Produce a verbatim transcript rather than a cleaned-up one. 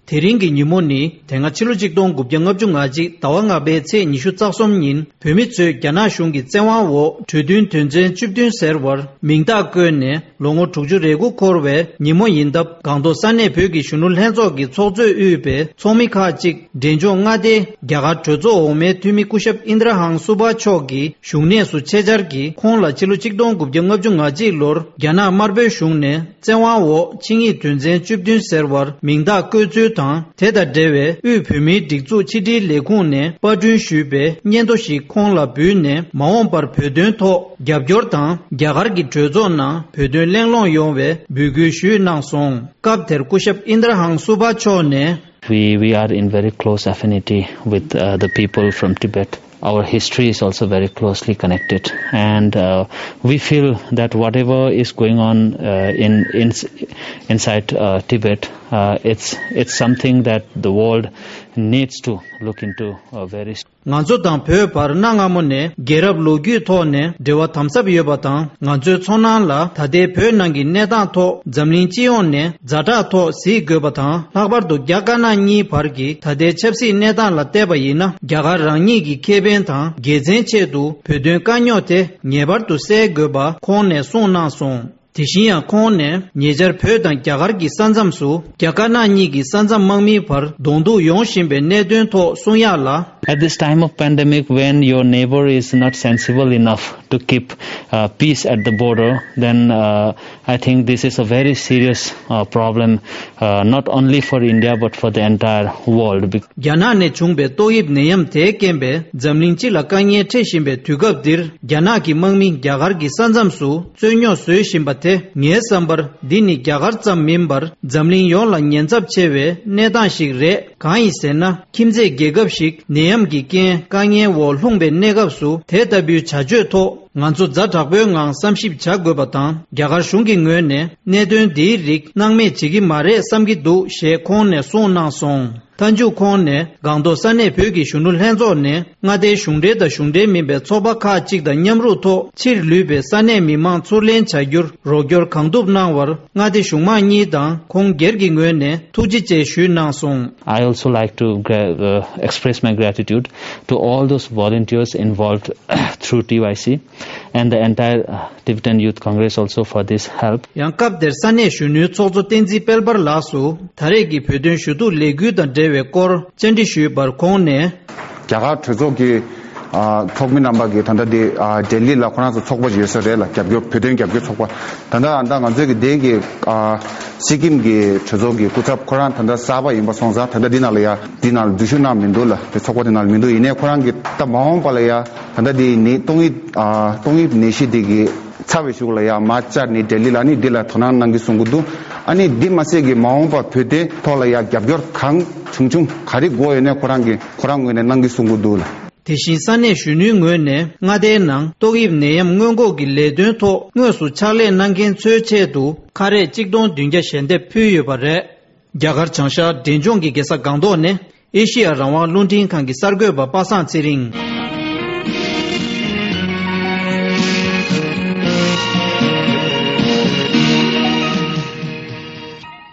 དེ་རིང་གི་ཉིན་མོ་ནི་དེ་སྔ་ཕྱི་ལོ་ཆིག་སྟོང་དགུ་བརྒྱ་ལྔ་བཅུ་ང་གཅིག་ཟླ་བ་ལྔ་པའི་ཚེས་ཉི་ཤུ་རྩ་གསུམ་ཉིན། བོད་མི་ཚོས་རྒྱ་ནག་གཞུང་གི་བཙན་དབང་འོག་གྲོས་མཐུན་དོན་ཚན་བཅུ་བདུན་ཟེར་བར་མིང་རྟགས་བཀོད་ནས། ལོ་ངོ་དྲུག་ཅུ་རེ་དགུ་འཁོར་བའི་ཉིན་མོ་ཡིན་སྟབས། སྒང་ཏོག་ས་གནས་བོད་ཀྱི་གཞོན་ནུ་ལྷན་ཚོགས་ཀྱི་ཚོགས་གཙོས་དབུས་པའི་ཚོགས་མི་ཁག་ཅིག་འབྲས་ལྗོངས་མངའ་སྡེའི་རྒྱ་གར་གྲོས་ཚོགས་འོག་མའི་འཐུས་མི་སྐུ་ཞབས་ཨིན་དྲ་ཧང་སུ་བྷ་མཆོག་གི་བཞུགས་གནས་སུ་ཆེད་བཅར་གྱིས། ཁོང་ལ་ཕྱི་ལོ་ཆིག་སྟོང་དགུ་བརྒྱ་ལྔ་བཅུ་ང་གཅིག་ལོར་རྒྱ་ནག་དམར་པོའི་གཞུང་ནས་བཙན་དབང་འོག་ཆིངས་ཡིག་དོན་ཚན་བཅུ་བདུན་ཟེར་བར་མིང་རྟགས་བཀོད་ཚུལ་དང་། དེ་དང་འབྲེལ་བའི་དབུས་བོད་མིའི་སྒྲིག་འཛུགས་ཕྱི་དྲིལ་ལས་ཁུངས་ནས་པར་སྐྲུན་ཞུས་པའི་སྙན་ཐོ་ཞིག་ཁོང་ལ་འབུལ་ནས། མ་འོངས་པར་བོད་དོན་ཐོག་རྒྱབ་སྐྱོར་དང་། རྒྱ་གར་གྱི་གྲོས་ཚོགས་ནང་བོད་དོན་གླེང་སློང་ཡོང་བའི་འབོད་སྐུལ་ཞུས་གནང་སོང་། སྐབས་དེར་སྐུ་ཞབས་ཨིན་དྲ་ཧང་སུ་བྷ་མཆོག་ནས། We, we are in very close affinity with, uh, the people from Tibet. Our history is also very closely connected, and, uh, we feel that whatever is going on, uh, in, in, inside, uh, Tibet, uh, it's, it's something that the world needs to look into, uh, very ང་ཚོ་དང་བོད་བར་གནའ་སྔ་མོ་ནས་རྒྱལ་རབས་ལོ་རྒྱུས་ཐོག་ནས་འབྲེལ་བ་དམ་ཟབ་ཡོད་པ་དང་། ང་ཚོའི་ཚོར་སྣང་ལ་ད་ལྟའི་བོད་ནང་གི་གནས་སྟངས་ཐོག་འཛམ་གླིང་སྤྱི་ཡོངས་ནས་ཛ་དྲག་ཐོག་གཟིགས་དགོས་པ་དང་། ལྷག་པར་དུ་རྒྱ་དཀར་ནག་གཉིས་བར་གྱི་ད་ལྟའི་ཆབ་སྲིད་གནས་སྟངས་ལ་བལྟས་པ་ཡིན་ན། རྒྱ་གར་རང་ཉིད་ཀྱི་ཁེ་ཕན་དང་དགེ་མཚན་ཆེད་དུ་བོད་དོན་དཀའ་རྙོག་དེ་ངེས་པར་དུ་སེལ་དགོས་པ་ཁོང་ནས་གསུངས་གནང་སོང་། དེ་བཞིན་ཡང་ཁོང་ནས་ཉེ་ཆར་བོད་དང་རྒྱ་གར་གྱི་ས་མཚམས་སུ་རྒྱ་དཀར་ནག་གཉིས་ཀྱི་ས་མཚམས་དམག་མིའི་བར་གདོང་ཐུག་ཡོང་བཞིན་པའི་གནད་དོན་ཐོག་གསུང་ཡག་ལ། At this time of pandemic, when your neighbor is not sensible enough to keep, uh, peace at the border, then, uh, I think this is a very serious, uh, problem, uh, not only for India but for the entire world. Bec- རྒྱ་ནག་ནས་བྱུང་པའི་ཏོག་དབྱིབས་ནད་ཡམས་དེའི་རྐྱེན་པས་འཛམ་གླིང་སྤྱི་ལ་དཀའ་ངལ་འཕྲད་བཞིན་པའི་དུས་སྐབས་འདིར། རྒྱ་ནག་གི་དམག་མི་རྒྱ་གར་གྱི་ས་མཚམས་སུ་རྩོད་རྙོག་བཟོས་བཞིན་པ་དེ། ངའི་བསམ་པར་འདི་ནི་རྒྱ་གར་ཙམ་མིན་པར་འཛམ་གླིང་ཡོངས་ལ་ཉེན་ཚབས་ཆེ་བའི་གནས་སྟངས་ཤིག་རེད། གང་ཡིན་ཟེར་ན། ཁྱིམ་མཚེས་རྒྱལ་ཁབ་ཞིག་ནད་ཡམས་ཀྱི་རྐྱེན་དཀའ་ངལ་འོག་ལྷུང་པའི་གནས་སྐབས་སུ། དེ་ལྟ་བུའི་བྱ་སྤྱོད་ཐོག་ང་ཚོ་ཛ་དྲག་པོའི་ངང་བསམ་ཞིབ་བྱ་དགོས་པ་དང་། རྒྱ་གར་གཞུང་གི་ངོས་ནས་གནད་དོན་འདིའི་རིགས་སྣང་མེད་བྱེད་ཀྱི་མ་རེད་བསམ་གྱི་འདུག་ཞེས་ཁོང་ནས་གསུངས་གནང་སོང་། མཐའ་མཇུག་ཁོང་ནས་སྒང་ཏོག་ས་གནས་བོད་ཀྱི་གཞོན་ནུ་ལྷན་ཚོགས་ནས་མངའ་སྡེའི་གཞུང་འབྲེལ་དང་གཞུང་འབྲེལ་མིན་པའི་ཚོགས་པ་ཁག་ཅིག་དང་མཉམ་རུབ་ཐོག་ཕྱིར་ལུས་པའི་ས་གནས་མི་མང་ཚུར་ལེན་བྱ་རྒྱུར་རོགས་སྐྱོར་གང་ཐུབ་གནང་བར། མངའ་སྡེ་གཞུང་མང་གཉིས་དང་ཁོང་སྒེར་གྱི་ངོས་ནས་ཐུགས་རྗེ་ཆེ་ཞུས་གནང་སོང་། I also like to gra- uh, express my gratitude to all those volunteers involved through T Y C and the entire, uh, Tibetan Youth Congress also for this help. ཡང་སྐབས་དེར་ས་གནས་གཞོན་ནུའི་ཚོགས་གཙོ་བསྟན་འཛིན་དཔལ་འབར་ལགས་སུ་ད་རེས་ཀྱི་བོད་དོན་ཞུ་གཏུག་ལས་འགུལ་དང་འབྲེལ་བའི་སྐོར་བཅར་འདྲི་ཞུས་པར་ཁོང་ནས། རྒྱ་གར་གྲོས་ཚོགས་ཀྱི་ཨ་ཚོགས་མི་རྣམ་པ་གིས་ད་ལྟ་འདི་ཨ་ལྡི་ལི་ལ་ཁོ་རང་ཚོ་ཚོགས་པ་ཡོད་ས་རེད་ལ། རྒྱབ་སྐྱོར་བོད་དོན་རྒྱབ་སྐྱོར་ཚོགས་པ། ད་ལྟ་ཨ་ད་ང་ཚོའི་གི་དེ་གི་ཨ་སི་ཀིམ་གི་གྲོས་ཚོགས་ཀྱི་སྐུ་ཚབ་ཁོ་རང་ད་ལྟ་གསར་པ་ཡིན་པ་སོང་ཙང་ད་ལྟ་འདི་ནང་ལ་ཡ་འདི་ནང་ལ་འཛུལ་ཞུགས་གནང་མི་འདུག་ལ། དེ་ཚོགས་པ་དེ་ནང་ལ་མི་འདུག་ཡིན་ནའི་ཁོ་རང་གི་ད་མ་འོངས་པ་ལ་ཡ་ད་ལྟ་འདི་ནི་ཏོག་དབྱིབས་ཨ་ཏོག་དབྱིབས་ནད་གཞི་དེ་གི་ཚ་བའི་གཞུག་ལ་ཡ་མར་བཅར་ནས་ལྡི་ལི་ལ་ནི་འདི་ལ་དོ་སྣང་གནང་གི་གསུང་གི་འདུག་ཨ་ནི་འདི་མ་ཟད་ཀྱི་མ་འོངས་པ་བོད་དོན་ཐོག་ལ་ཡ་རྒྱབ་སྐྱོར་གང་བྱུང་བྱུང་ག་རེ་དགོས་ཡོད་ནའི་ཁོ་རང་གི་ཁོ་རང་ངོས་ནས་གནང་གི་གསུང་གི་འདུག་ལ། དེ་བཞིན་ས་གནས་གཞོན་ནུའི་ངོས་ནས་མངའ་སྡེའི་ནང་ཏོག་དབྱིབས་ནད་ཡམས་སྔོན་འགོག་གི་ལས་དོན་ཐོག་དངོས་སུ་ཕྱག་ལས་གནང་མཁན་ཚོའི་ཆེད་དུ་ཁ་རས་གཅིག་སྟོང་བདུན་བརྒྱ་ཞལ་འདེབས་ཕུལ་ཡོད་པ་རེད། རྒྱ་གར་བྱང་ཤར་འབྲས་ལྗོངས་ཀྱི་རྒྱལ་ས་སྒང་ཏོག་ནས་ཨེ་ཤི་ཡ་རང་དབང་རླུང་འཕྲིན་ཁང་གི་གསར་འགོད་པ་པ་སངས་ཚེ་རིང་།